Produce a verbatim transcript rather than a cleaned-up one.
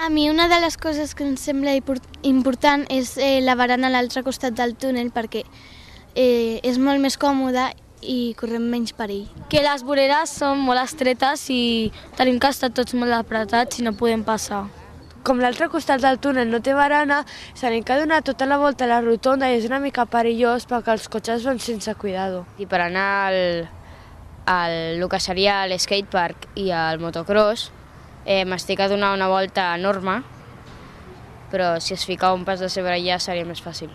A mi una de les coses que em sembla important és eh, la barana a l'altre costat del túnel perquè eh, és molt més còmode i correm menys perill. Que les voreres són molt estretes i tenim que estar tots molt apretats i no podem passar. Com l'altre costat del túnel no té barana, s'han que donar tota la volta a la rotonda i és una mica perillós perquè els cotxes van sense cuidado. I per anar al, al el que seria l'skatepark i al motocross, eh, m'estic a donar una volta enorme, però si es ficava un pas de sobre ja seria més fàcil.